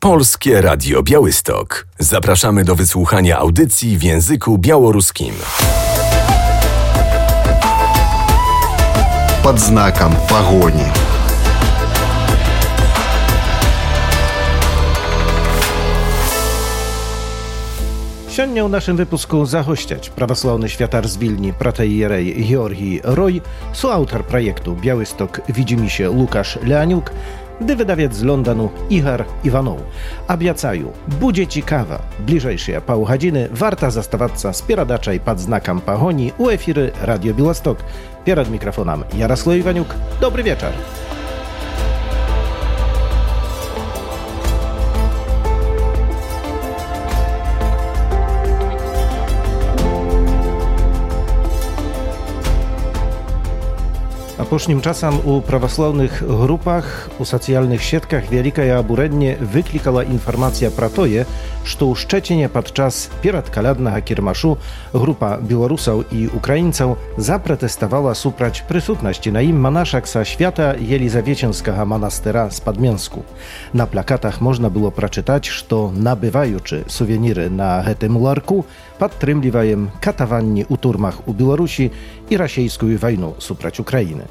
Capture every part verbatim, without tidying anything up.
Polskie Radio Białystok. Zapraszamy do wysłuchania audycji w języku białoruskim. Под знаком погони. Сегодня в нашем выпуску загостять православный святар z Wilni, протоиерей Георгий Рой, соавтор проекту Białystok Widzimisię Łukasz Leaniuk, gdy wydawiec z Londonu Igor Iwanow. Obiecają, będzie ciekawa. Bliżejsze pół godziny warta zastawać z pieradaczej pod znakiem pogoni u efiry Radio Białystok. Przed mikrofonem Jarosław Iwaniuk. Dobry wieczór. Апошнім часам у праваслаўных групах, у сацыяльных сетках вялікае абурэнне выклікала інфармацыя пра тое, што ў Шчэціне падчас перадкаляднага кірмашу група беларусаў і украінцаў запратэставала супраць прысутнасці на ім манашак са свята Елізавецінскага манастыра з Падменску. На плакатах можна было прачытаць, што, набываючы сувеніры на гэтым ларку, падтрымліваем катаванні ў турмах у Беларусі і расійскую вайну супраць Украіны.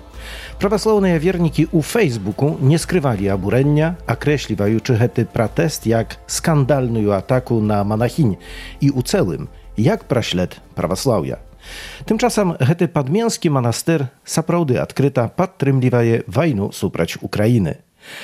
Праваслаўныя вернікі ў Фейсбуку не скрывалі абурэння, акрэсліваючы гэты пратэст як скандальную атаку на манахінь і ў цэлым як праслед праваслаўя. Тымчасам гэты падменскі манастыр сапраўды адкрыта падтрымлівае вайну супраць Украіны.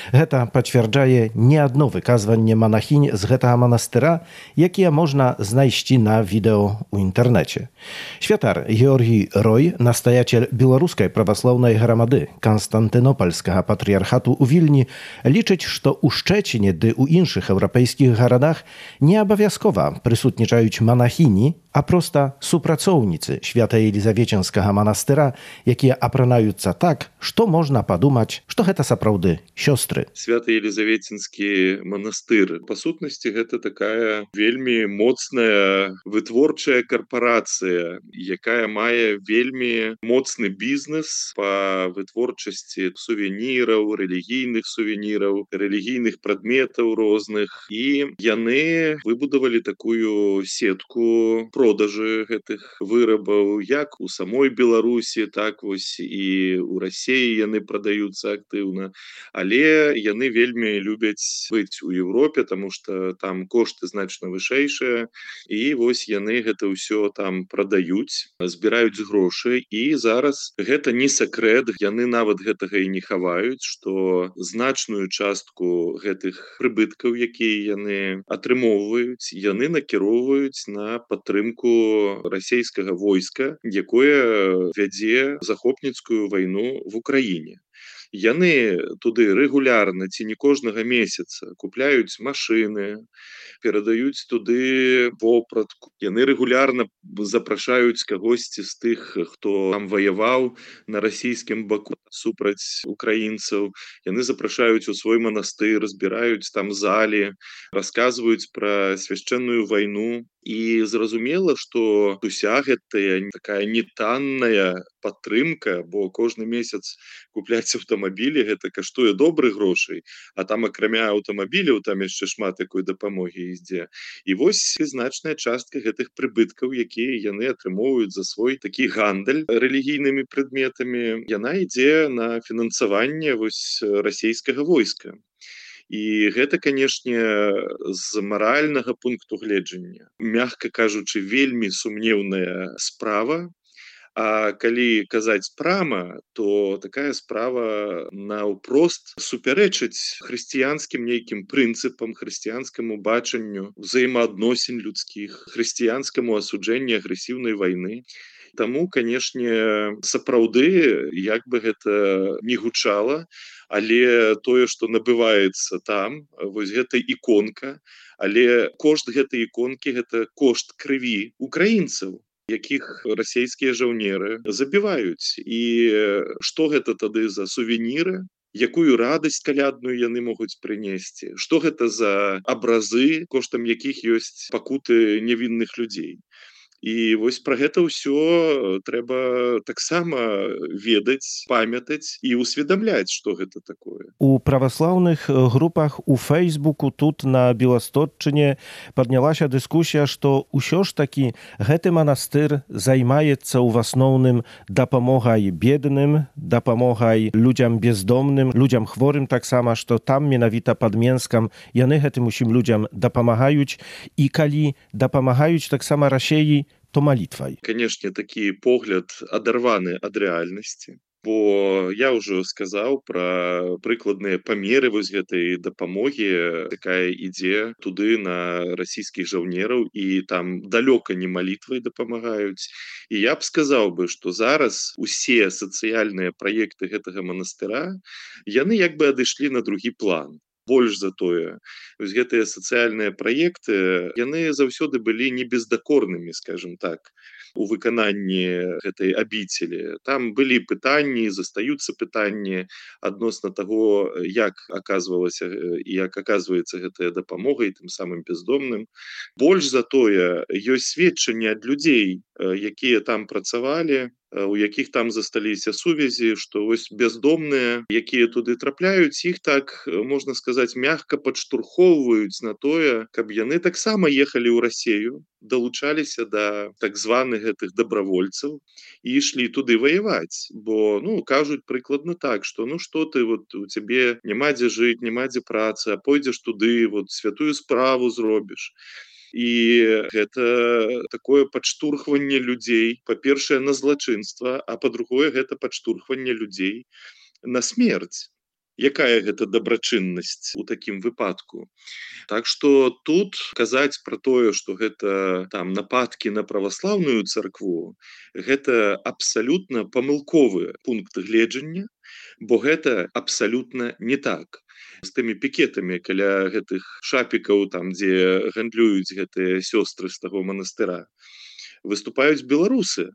Гэта пацвярджае не адно выказванне манахінь з гэтага манастыра, якія можна знайсці на відэо ў інтэрнэце. Святар Георгий Рой, настаятель беларускай праваслаўнай грамады Канстантынопольскага патрыярхату ў Вільні, лічыць, што ў Шчэціне ды ў іншых еўрапейскіх гарадах не абавязкова прысутнічаюць манахіні, а проста супрацоўніцы свята Елізавецінскага манастыра, якія апранаюцца так, што можна падумаць, што гэта сапраўды сёстры. Свята-Елізавецінскі манастыр, па сутнасці, гэта такая вельмі моцная вытворчая карпорацыя, якая мае вельмі моцны бізнес па вытворчасці сувеніраў, рэлігійных сувеніраў, рэлігійных прадметаў розных. І яны выбудавалі такую сетку продажы гэтых вырабаў, як у самой Беларусі, так вось і ў Расіі яны прадаюцца актыўна. Але яны вельмі любяць быць у Европе, таму што там кошты значна вышэйшыя, і вось яны гэта ўсё там прадаюць, збіраюць грошы, і зараз гэта не сакрэт, яны нават гэтага і не хаваюць, што значную частку гэтых прыбыткаў, якія яны атрымоўваюць, яны накіроўваюць на падтрымку расійскага войска, якое вядзе захопніцкую вайну в Украіне. Яны туды рэгулярна ці не кожнага месяца купляюць машыны, перадаюць туды вопратку. Яны рэгулярна запрашаюць кагосьці з тых, хто там ваяваў на расійскім баку супраць украінцаў. Яны запрашаюць у свой манастыр, збіраюць там залі, расказваюць пра свяшчэнную вайну. І зразумела, што уся гэтая такая нетанная падтрымка, бо кожны месяц купляць аўтамабілі, гэта каштуе добрых грошай, а там акрамя аўтамабіляў там яшчэ шмат такой дапамогі ідзе. І вось значная частка гэтых прыбыткаў, якія яны атрымоўваюць за свой такі гандаль рэлігійнымі прадметамі, яна ідзе на фінансаванне вось расійскага войска. І гэта, канешне, з маральнага пункту гледжання, мякка кажучы, вельмі сумнеўная справа. А калі казаць прама, то такая справа наўпрост супярэчыць хрысціянскім нейкім прынцыпам, хрысціянскаму бачанню ўзаемаадносін людскіх, хрысціянскаму асуджэнню агрэсіўнай вайны. Таму, канешне, сапраўды, як бы гэта не гучала, але тое, што набываецца там, вось гэта іконка, але кошт гэтай іконкі – гэта кошт крыві украінцаў, якіх расійскія жаўнеры забіваюць. І што гэта тады за сувеніры? Якую радасць калядную яны могуць прынесці? Што гэта за абразы, коштам якіх ёсць пакуты невінных людзей? І вось пра гэта ўсё трэба таксама ведаць, памятаць і ўсведамляць, што гэта такое. У праваслаўных групах у Фейсбуку тут на Беластотчыне паднялася дыскусія, што ўсё ж такі гэты манастыр займаецца ў асноўным дапамогай бедным, дапамогай людзям бездомным, людзям хворым таксама, што там менавіта пад Менскам яны гэтым усім людзям дапамагаюць, і калі дапамагаюць таксама расеі, то малітвай. Канешне, такі погляд адарваны ад рэальнасці. Бо я ўжо сказаў пра прыкладныя памеры вось гэтай дапамогі, якая ідзе туды на расійскіх жаўнераў, і там далёка не малітвай дапамагаюць. І я б сказаў бы, што зараз усе сацыяльныя праекты гэтага манастыра, яны як бы адышлі на другі план. Больш за тое, вось гэтыя сацыяльныя праекты, яны заўсёды былі не бездакорнымі, скажем так, у выкананні гэтай абіцелі. Там былі пытанні, застаюцца пытанні адносна таго, як аказвалася і як аказваецца гэтая дапамога і тым самым бездомным. Больш за тое, ёсць сведчанні ад людзей, якія там працавалі, у якіх там засталіся сувязі, што вось бездомныя, якія туды трапляюць, іх так, можна сказаць, мягка падштурхоўваюць на тое, каб яны таксама ехалі ў Расею, далучаліся да так званых гэтых дабравольцаў і ішлі туды ваяваць. Бо, ну, кажуць прыкладна так, што ну што ты, вот у цябе няма дзе жыць, няма дзе працы, а пойдзеш туды, вот святую справу зробіш. І гэта такое падштурхванне людзей, па-першае, на злачынства, а па-другое, гэта падштурхванне людзей на смерць. Якая гэта дабрачыннасць у такім выпадку? Так што тут казаць пра тое, што гэта там нападкі на праваслаўную царкву, гэта абсалютна памылковы пункт гледжання, бо гэта абсалютна не так. З тымі пікетамі каля гэтых шапікаў, там, дзе гандлююць гэтыя сёстры з таго манастыра, выступаюць беларусы.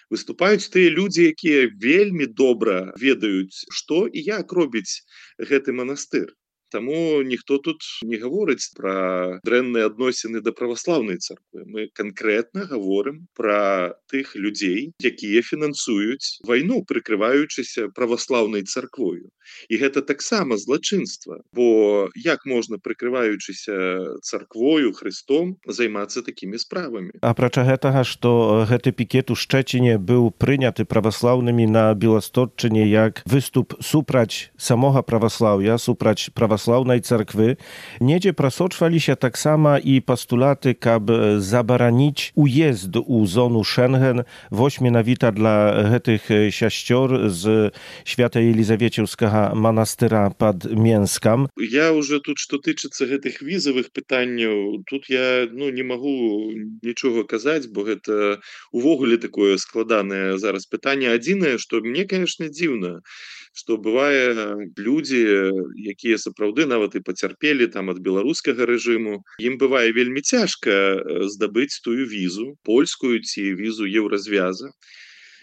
Выступаюць тыя людзі, якія вельмі добра ведаюць, што і як робіць гэты манастыр. Таму ніхто тут не гаворыць пра дрэнныя адносіны да праваслаўнай царквы. Мы канкрэтна гаворым пра тых людзей, якія фінансуюць вайну, прыкрываючыся праваслаўнай царквою. І гэта таксама злачынства, бо як можна, прыкрываючыся царквою, Христом, займацца такімі справамі? Апрача гэтага, што гэты пікет у Шчэціне быў прыняты праваслаўнымі на Беластотчыне як выступ супраць самога праваслаўя, супраць праваслаўнай царквы, недзе прасочваліся таксама і пастулаты, каб забараніць уезд у зону Шэнген, вось менавіта для гэтых сясцёр з Свята-Елізавецеўскага манастыра пад Менскам. Я уже тут, што тычыцца гэтых візавых пытанняў, тут я ну, не магу нічога казаць, бо гэта увогуле такое складанае зараз пытанне. Адзінае, што мне, конечно, дзіўна, што бывае людзі, якія сапраўды нават і пацярпелі там ад беларускага рэжыму, ім бывае вельмі цяжка здабыць тую візу, польскую ці візу еўразвяза.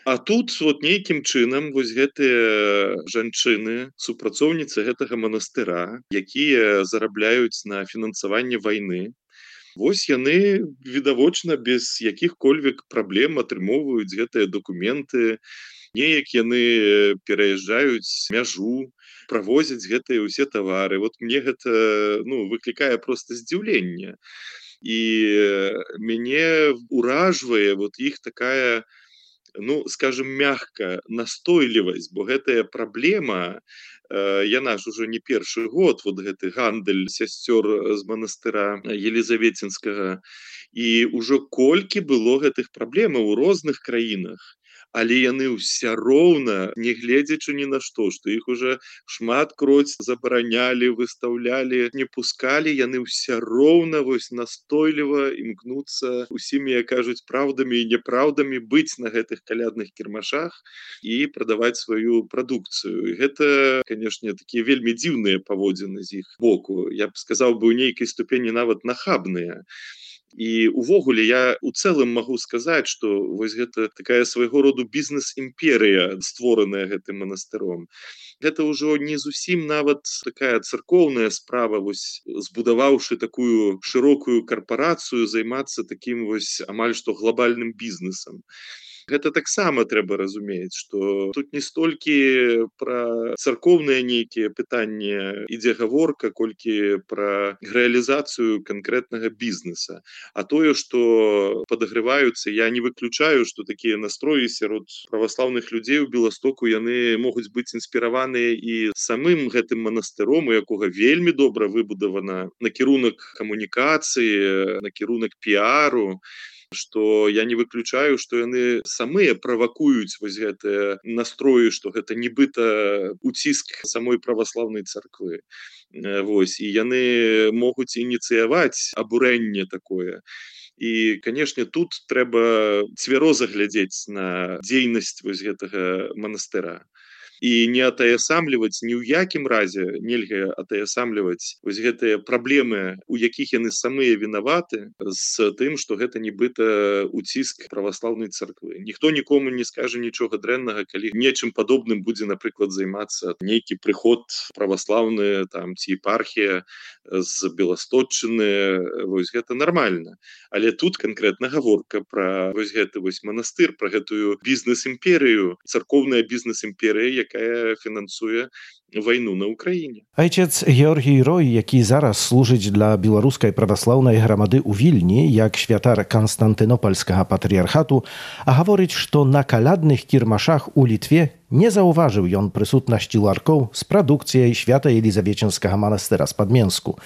А тут вот нейкім чынам вось гэтыя жанчыны, супрацоўніцы гэтага манастыра, якія зарабляюць на фінансаванне вайны, вось яны відавочна без якіх-кольвек праблем атрымоўваюць гэтыя дакументы, неяк яны пераязджаюць мяжу, правозяць гэтыя ўсе тавары. Вот мне гэта ну, выклікае проста здзіўленне. І мяне ўражвае вот іх такая, ну, скажем, мягка, настойлівасць, бо гэтая праблема, э, яна ж ужо не першы год, вот гэты гандаль сясцёр з манастыра Елізаветинскага, і ўжо колькі было гэтых праблемаў у розных краінах, але яны ўся роўна, не гледзячы ні на што, што іх уже шмат кроць забаранялі, выстаўлялі, не пускалі, яны ўся роўна вось настойліва імкнуцца усімі, як кажуць, праўдамі і няпраўдамі быць на гэтых калядных кірмашах і прадаваць сваю прадукцыю. І гэта, канешне, такія вельмі дзіўныя паводзіны з іх боку. Я б сказаў бы, у нейкай ступені нават нахабныя. І увогуле я у цэлым магу сказаць, што вось гэта такая свайго роду бізнес-імперыя, створаная гэтым манастыром. Гэта ўжо не зусім нават такая царкоўная справа, вось збудаваўшы такую шырокую карпарацыю, займацца такім вось амаль што глобальным бізнесам. Гэта таксама трэба разумець, што тут не столькі пра царкоўныя нейкія пытанні ідзе гаворка, колькі пра рэалізацыю канкрэтнага бізнеса. А тое, што падагрываюцца, я не выключаю, што такія настроі сярод праваслаўных людзей у Беластоку, яны могуць быць інспіраваныя і самым гэтым манастыром, у якога вельмі добра выбудавана накірунак камунікацыі, накірунак піару, што я не выключаю, што яны самыя правакуюць вось гэтыя настроі, што гэта нібыта уціск самой праваслаўнай царквы. Вось, і яны могуць ініцыяваць абурэнне такое. І, канешне, тут трэба цвяроза глядзець на дзейнасць вось гэтага манастыра. І не атаясамліваць, ні ў якім разе нельга атаясамліваць вось гэтыя праблемы, у якіх яны самыя вінаваты, з тым, што гэта нібыта уціск праваслаўнай царквы. Ніхто нікому не скажа нічога дрэннага, калі нечым падобным будзе, напрыклад, займацца нейкі прыход праваслаўны там ці епархія з Беластотчыны. Вось гэта нармальна. Але тут канкрэтна гаворка пра вось гэты вось манастыр, пра гэтую бізнес-імперыю, царкоўная бізнес-імперыя, якая фінансуе вайну на Украіне. Ojciec Georgij Roj, які зараз служыць для беларускай праваслаўнай грамады ў Вільні, як святар Канстантынопольскага патрыярхату, а гаворыць, што на калядных кірмашах у Літве не заўважыў ён прысутнасці ларкоў з прадукцыяй Свята-Елізавецінскага манастыра з Падменску.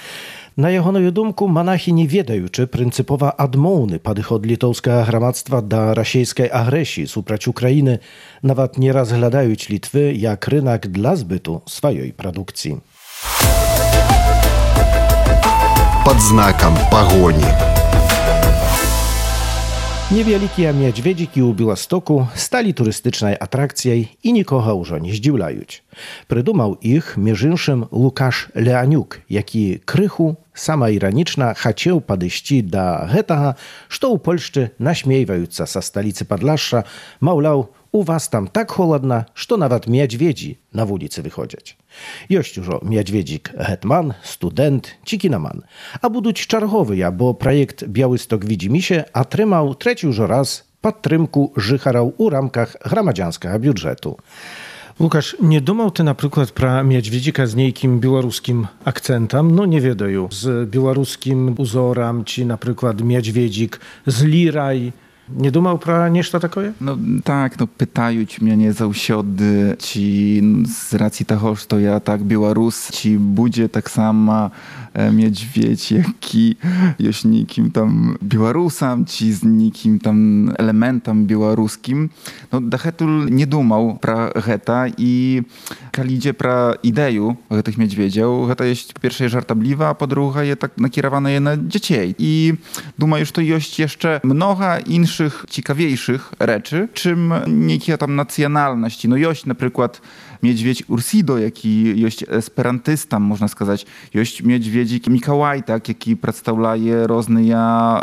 На ягоную думку, манахі не ведаючы прынцыпова адмоўны падыход літоўскага грамадства да расійскай агрэсіі супраць Украіны, нават не разглядаюць Літвы як рынак для збыту сваёй прадукцыі. Под знаком погони. Невялікія мядзведзікі ў Беластоку сталі турыстычнай атракцыяй і нікога ўжо не здзіўляюць. Прыдумаў іх, між іншым, Лукаш Леанюк, які крыху самаіранічна хацеў падысці да гэтага, што ў Польшчы насмейваюцца са сталіцы Падляшша, маўляў, у вас там так холадна, што нават мядзведзі на вуліцы выходзяць. Ёсць ужо мядзведзік гетман, студэнт ці кінаман. А будуць чарговыя, бо праект «Białystok Widzimisię» атрымаў трэці ўжо раз падтрымку жыхараў у рамках грамадзянскага бюджэту. Łukasz, nie думаў ты, напрыклад, пра мядзведзіка з нейкім беларускім акцэнтам, ну не ведаю, з беларускім узорам, ці, напрыклад, мядзведзік з лірай. Nie думаў пра нешта такое? No tak, no pytаюць мяне заўсёды, ці з раcji таго, што я так беларус, ці будзе таксама miedźwiedź, які ёсць нейкім там беларусам, ці з нейкім там элементам беларускім. No дагэтуль не думаў пра гэта, і калі ідзе пра ідэю гэтых мядзведзяў, гэта ёсць па-першае жартабліва, а па-другае так накіраванае на дзяцей. І думаю, што ёсць яшчэ многа іншых ciekawiejszych rzeczy, czym niekie tam nacjonalności. No jest na przykład miedźwiedź Ursido, jaki jest esperantystą, można сказać. Jest miedźwiedzik Mikołaj, tak, jaki przedstawia różne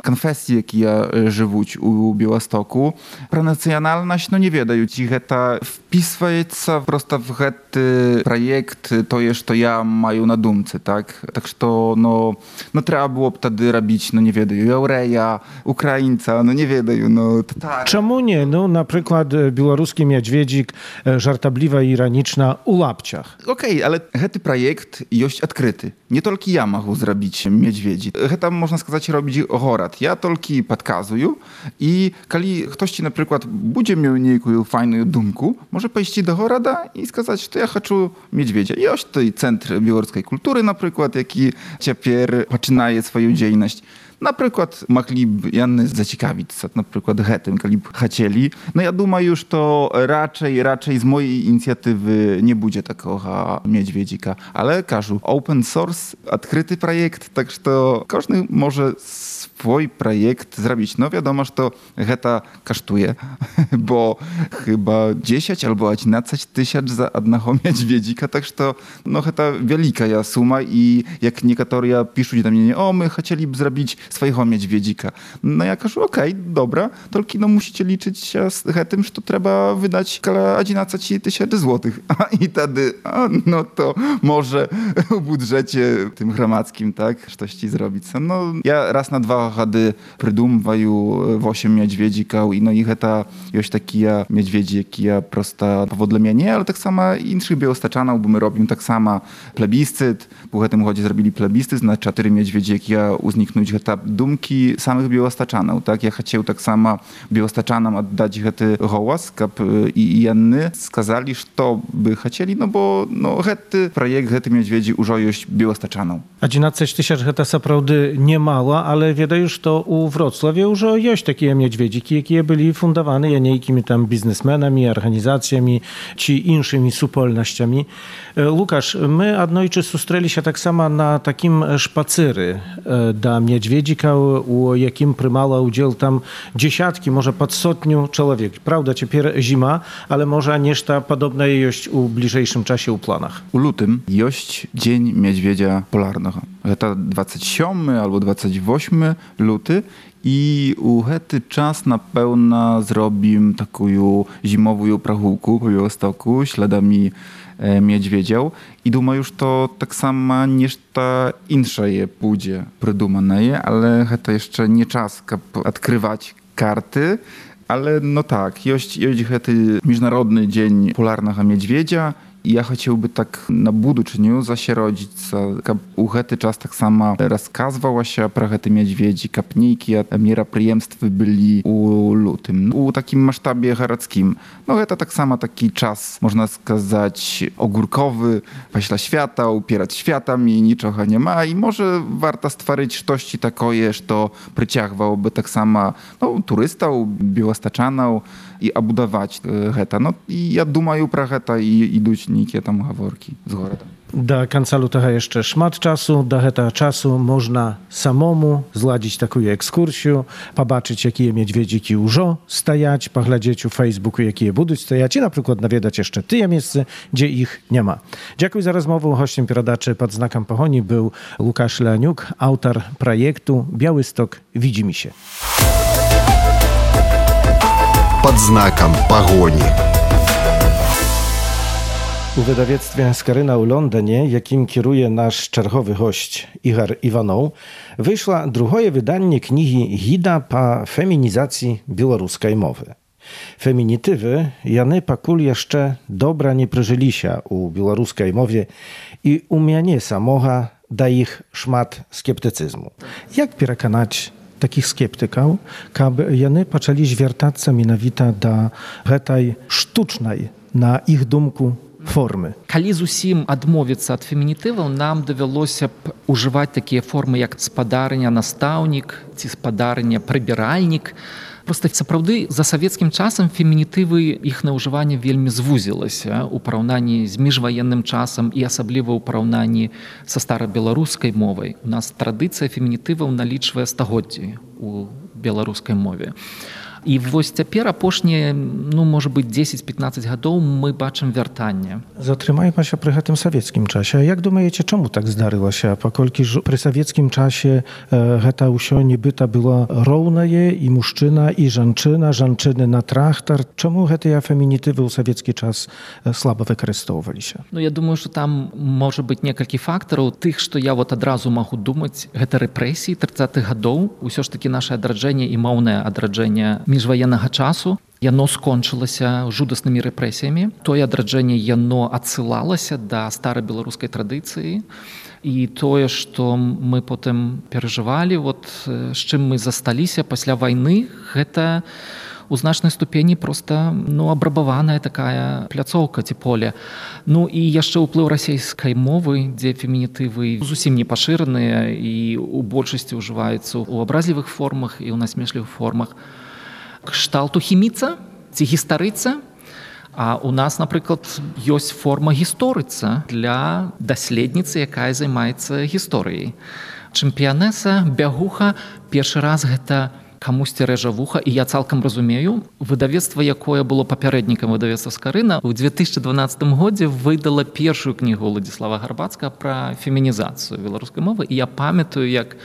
konfesje, jakie żyją u Białostoku. Про nacjonalność, no nie wiedają, ci to wpisujется просто w ten projekt, to jest, to ja mają na dumce, tak? Tak, że no, no trzeba było wtedy robić, no nie wiedają, Jaureja, Ukraińca, no nie wiedają, no tak. Czemu nie? No na przykład białoruski miedźwiedzik, żartabliwa i ironiczna u Lapciach. Okej, okay, ale ten projekt jest odkryty. Nie tylko ja mogę zrobić miedźwiedzi. To można сказать robić город. Ja tylko podkazuję i kiedy ktoś ci na przykład będzie miał niejaką fajną dumku, może pójść do города i сказать, że ja chcę miedźwiedzia. Jest tutaj Centr Białoruskiej Kultury na przykład, jaki teraz zaczyna swoją działalność. Na przykład mogliby Janny zaciekawić się, na przykład гэтym, gdyby chcieli. No ja думаю, że to raczej, raczej z mojej inicjatywy nie będzie takiego miedźwiedzika. Ale każu, open source, odkryty projekt, tak że to każdy może swój projekt zrobić. No wiadomo, że to гэта kosztuje, bo chyba dziesięć albo jedenaście tysięcy za jednego miedźwiedzika, tak że to no гэта wielka suma i jak niektórzy piszą do mnie, o my chcieliby zrobić swojego miedźwiedzika. No ja кажу, okej, okay, dobra, tylko no musicie liczyć się z tym, że to trzeba wydać około jedenaście tysięcy złotych. A i wtedy, a, no to może w budżecie tym gramadzkim, tak, coś ci zrobić. No ja raz na dwa gady придумываю osiem miedźwiedzikał i no i to jest taki miedźwiedzi, jaki ja prosta powodle mnie, ale tak samo innych białostaczanów, bo my robimy tak samo plebiscyt, po tym chodzie zrobili plebiscyt, na cztery miedźwiedzi, jak ja uzniknąć te dumki samych białostaczanów, tak, ja chciał tak samo białostaczanom oddać ten głos, kap i janny skazali, że by chcieli, no bo no ten projekt, ten miedźwiedzi już jest białostaczaną. jedenaście tysięcy to naprawdę nie mało, ale wiedaję, że to u Wrocławiu już jest takie miedźwiedziki, jakie byli fundowane jakimiś tam biznesmenami, organizacjami, czy innymi supolnościami. Łukasz, my adnojczy susтрели się tak samo na takim szpacery do miedźwiedzika, u jakim prymała udział tam dziesiątki, może pod sotniu człowiek. Prawda, teraz zima, ale może nieszta podobne jest u bliżejszym czasie u planach. U lutym jest Dzień Miedźwiedzia Polarnego. To dwudziesty siódmy albo dwudziesty ósmy luty i u hety czas na pełna zrobim taką zimową prachułku po Białostoku śladami e, miedźwiedział i duma już to tak samo niż ta insza je pójdzie prydumane, ale heta jeszcze nie czas odkrywać karty, ale no tak, jest, jest hety Międzynarodny Dzień Polarnego Miedźwiedzia. I ja chciałby tak na buduczniu zasierodzić, u hety czas tak samo rozkazywała się про hety miedźwiedzi, kapniki, a mieroprijemstwy byli u lutym. U takim masztabie garadzkim. No heta tak samo taki czas, można сказać, ogórkowy, paśla świata, upierać światami, niczego nie ma i może warto stworzyć coś takoje, że przyciągłoby tak samo no, turystów, białostaczanów i obudować heta. No i ja думаю про heta i iduć nikie tam haworki z goroda. Do końca lutego jeszcze szmat czasu. Do tego czasu można samemu zladzić taką ekskursję, pobaczyć, jakie miedźwiedziki już stajać, poglądać u Facebooku, jakie będą stajać i na przykład nawiedać jeszcze te miejsce, gdzie ich nie ma. Dziękuję za rozmowę. Gościem Pieradaczy pod znakiem Pogoni był Łukasz Leoniuk, autor projektu Białystok widzi mi się. Pod znakiem Pogoni. U wydawnictwie Skaryna u Londynie, jakim kieruje nasz czerwowy gość Igor Iwanow, wyszła drugie wydanie kniги Gida po feminizacji białoruskiej mowy. Feminitywy jany pakul jeszcze dobra nie przeżyli się u białoruskiej mowie i u mnie samocha da ich szmat skeptycyzmu. Jak przekonać takich skeptyków, aby jany zaczęli zwiertać się mianowita do tej sztucznej, na ich dumku, формы. Калі зусім адмовіцца ад фемінітываў, нам давялося б ужываць такія формы, як спадарня настаўнік ці спадарня прыбіральнік. Проста сапраўды за савецкім часам фемінітывы іхнае ўжыванне вельмі звузілася ў параўнанні з міжваенным часам і асабліва ў параўнанні са старабеларускай мовай. У нас традыцыя фемінітываў налічвае стагоддзі у беларускай мове. І вось цяпер апошнія, ну, можа быць, дзесяць-пятнаццаць гадоў мы бачым вяртанне. Затрымаем się przy гэтым савецкім часе. Jak думаеце, чаму так здарылася? Паколькі ж пры савецкім часе e, гэта ўсё нібыта было роўнае і мужчына, і жанчына, жанчыны на трактар. Чаму гэтыя фемінітывы ў савецкі час слаба выкарыстоўваліся? Ну, я думаю, што там можа быць некалькі фактараў. Тых, што я вот адразу магу думаць, гэта рэпрэсіі трыццатых гадоў. Усё ж такі наша адраджэнне і моўнае адраджэнне міжваеннага часу, яно скончылася жудаснымі рэпрэсіямі. Тое адраджэнне яно адсылалася да старабеларускай традыцыі. І тое, што мы потым перажывалі, вот, з чым мы засталіся пасля вайны, гэта у значнай ступені проста ну, абрабаваная такая пляцоўка ці поле. Ну і яшчэ ўплыў расейскай мовы, дзе фемінітывы зусім не пашыраныя і у большасці ўжываюцца ў абразлівых формах і ў насмешлівых формах. Кшталту хіміца ці гістарыца, а у нас, напрыклад, ёсць форма гісторыца для даследніцы, якая займаецца гісторыяй. Чэмпіянеса, бягуха, першы раз гэта камусьці рэжа вуха, і я цалкам разумею, выдавецтва, якое было папярэднікам выдавецтва Скарына, у две тысячы дванаццатым годзе выдала першую кнігу Уладзіслава Гарбацкага пра фемінізацыю беларускай мовы, і я памятаю, як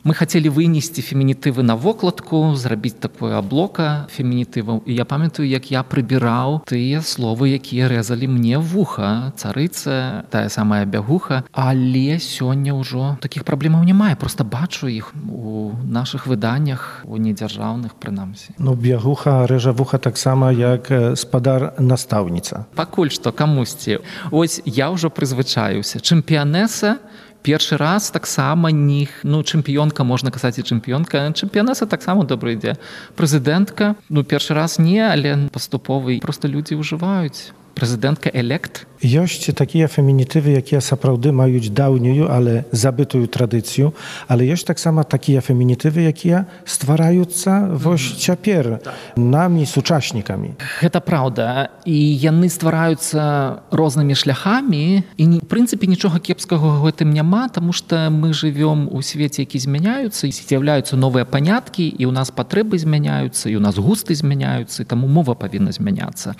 Мы хотели вынести фемінітывы на вокладку, зрабіць такое аблока фемінітываў. І я памятаю, як я прыбіраў тыя словы, якія рэзалі мне вуха, царыца, тая самая бягуха. Але сёння ўжо такіх праблемаў няма. Я проста бачу іх у нашых выданнях, у недзяржаўных, прынамсі. Ну, бягуха рэжа вуха таксама, як спадар-настаўніца. Пакуль што камусьці. Ось я ўжо прызвычаюся. Чэмпіянеса першы раз таксама ніх, ну, чэмпіёнка, можна казаць і чэмпіёнка, чэмпіянеса таксама добра ідзе. Прэзідэнтка, ну, першы раз не, але паступовы проста людзі ўжываюць. Прэзідэнтка элект. Ёсць такія фемінітывы, якія сапраўды маюць даўнюю, але забытую традыцыю, але ёсць таксама такія фемінітывы, якія ствараюцца вось цяпер намі, сучаснікамі. Гэта праўда. І яны ствараюцца рознымі шляхамі, і, в прынцыпе, нічога кепскага ў гэтым няма, таму што мы жывём у свеце, які змяняюцца, і з'яўляюцца новыя паняткі, і ў нас патрэбы змяняюцца, і ў нас густы змяняюцца, і таму мова павінна змяняцца.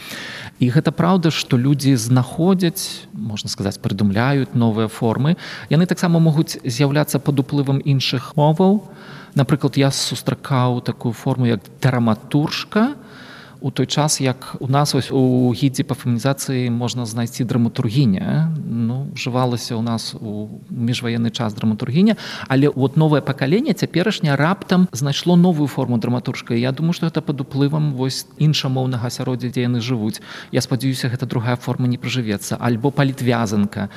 І гэта праўда, што людзі знаходзяць, можна сказаць, прыдумляюць новыя формы. Яны таксама могуць з'яўляцца пад уплывам іншых моваў. Напрыклад, я сустракаў такую форму, як драматуржка, у той час, як у нас ось у гідзе па фемінізацыі можна знайсці драматургіня. Ну, ўжывалася ў нас у міжваенны час драматургіня, але от новае пакаленне цяперашняе раптам знайшло новую форму драматуржка. І я думаю, што гэта пад уплывам вось іншамоўнага асяроддзя, дзе яны жывуць. Я спадзяюся, гэта другая форма не прыжывецца. Альбо палітвязанка.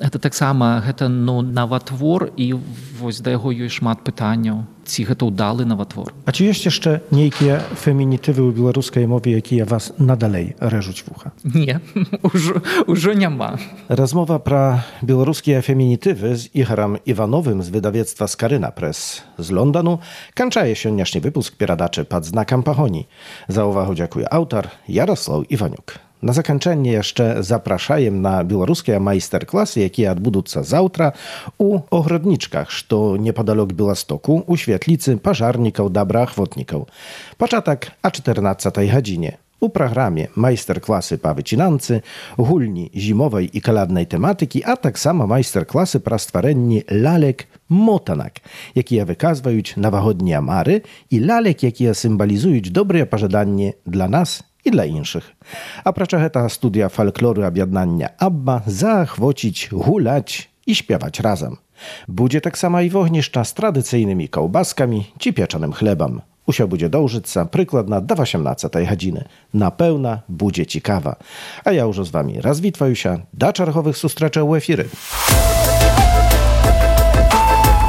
Гэта таксама гэта, ну, наватвор, і вось да яго ёсць шмат пытанняў. Ці гэта ўдалы наватвор. А ці ёсць яшчэ нейкія фемінітывы ў беларускай мове, якія вас надалей рэжуць вуха? Не, ўжо, ўжо няма. Rozmowa pra białoruskie feminitywy z Igorem Iwanowym z wydawnictwa Skaryna Press z Londonu kończy się dzisiejszy wypusk Pieradaczy pod znakiem Pahoni. Za uwagę dziękuję autor Jarosław Iwaniuk. Na zakończenie jeszcze zapraszajem na białoruskie majsterklasy, jakie odbędą się zawtra u ogrodniczkach, co niepodalok Białostoku, u świetlicy pożarników dobra ochotników. Początek o czternastej godzinie. U programie majsterklasy po wycinance, gulni zimowej i kaladnej tematyki, a tak samo majsterklasy pro stworzenie lalek motanak, jakie wykazują nowogodnie mary i lalek, jakie symbolizują dobre pożądanie dla nas i dla innych. A prócz tego studia folkloru objednania Abba zachwocić, gulać i śpiewać razem. Będzie tak samo i wogniszcza z tradycyjnymi kołbaskami czy pieczonym chlebem. Usio będzie dążyć przykładna do osiemnastej godziny. Na pełna będzie ciekawa. A ja już z wami rozwitwaju się do czerwowych sustreczek u efiry.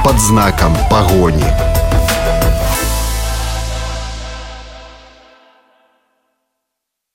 Pod znakiem Pahoni.